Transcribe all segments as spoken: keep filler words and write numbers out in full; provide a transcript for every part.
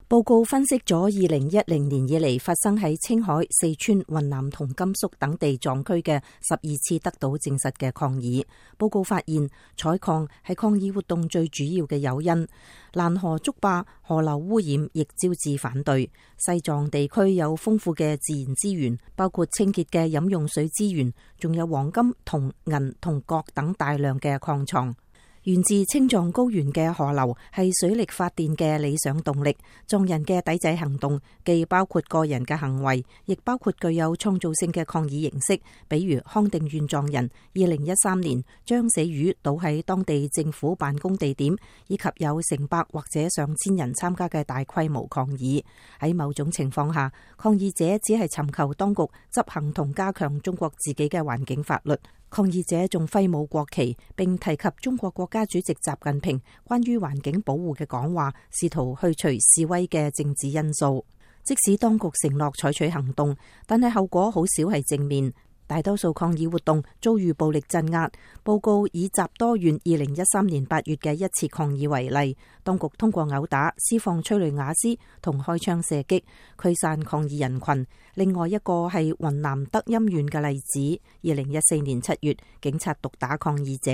報告分析咗二零一零年以嚟發生喺青海、四川、雲南同甘肅等地藏區嘅十二次得到證實嘅抗議。報告發現，採礦係抗議活動最主要嘅誘因。蘭河竹壩、河流污染亦招致反對。西藏地區有豐富嘅自然資源，包括清潔嘅飲用水資源，仲有黃金、銅、銀同鉻等大量嘅礦藏。源自青藏高原嘅河流係水力發電嘅理想動力。藏人嘅抵制行動既包括個人嘅行為，亦包括具有創造性嘅抗議形式。比如康定縣藏人二零一三年將死魚倒喺當地政府辦公地點，以及有成百或者上千人參加嘅大規模抗議。喺某種情況下，抗議者只係尋求當局執行同加強中國自己嘅環境法律。抗議者仲揮舞國旗，並提及中國國家主席習近平關於環境保護嘅講話，試圖去除示威嘅政治因素。即使當局承諾採取行動，但係後果好少係正面。大多數抗議活動遭遇暴力鎮壓。報告以集多縣二零一三年八月嘅一次抗議為例，當局通過毆打、施放催淚瓦斯同開槍射擊驅散抗議人群。另外一個係雲南德欽縣嘅例子，二零一四年七月，警察毒打抗議者。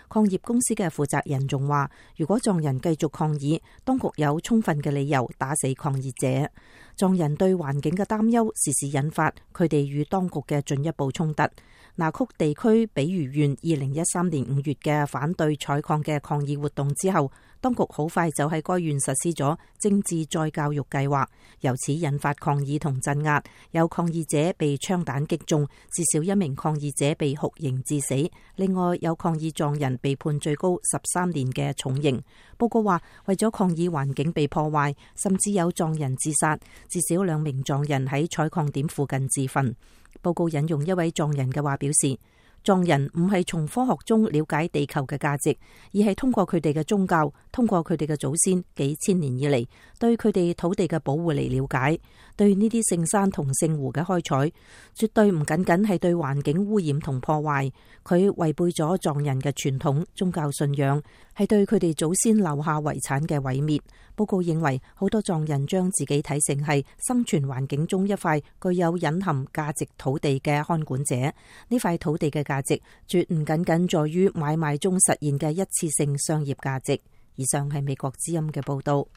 礦業公司嘅負責人仲話，如果藏人繼續抗議，當局有充分嘅理由打死抗議者。藏人對環境嘅擔憂時時引發佢哋與當局嘅進一步衝突。那曲地區比如縣二零一三年五月嘅反對採礦嘅抗議活動之後，當局好快就喺該縣實施咗政治再教育計劃，由此引發抗議同鎮壓。有抗議者被槍彈擊中，至少一名抗議者被酷刑致死。另外有抗議藏人被判最高十三年嘅重刑。報告話，為咗抗議環境被破壞，甚至有藏人自殺，至少兩名藏人喺採礦點附近自焚。報告引用一位藏人嘅話表示，藏人唔係從科學中了解地球嘅價值，而係通過佢哋嘅宗教，通過佢哋嘅祖先幾千年以嚟對佢哋土地嘅保護嚟了解。對呢啲聖山同聖湖嘅開採，絕對唔僅僅係對環境污染同破壞，佢違背咗藏人嘅傳統宗教信仰，係對佢哋祖先留下遺產嘅毀滅。報告認為，好多藏人將自己睇成係生存環境中一塊具有隱含價值土地嘅看管者。呢塊土地嘅價值絕唔僅僅在於買賣中實現嘅一次性商業價值。以上係美國之音嘅報道。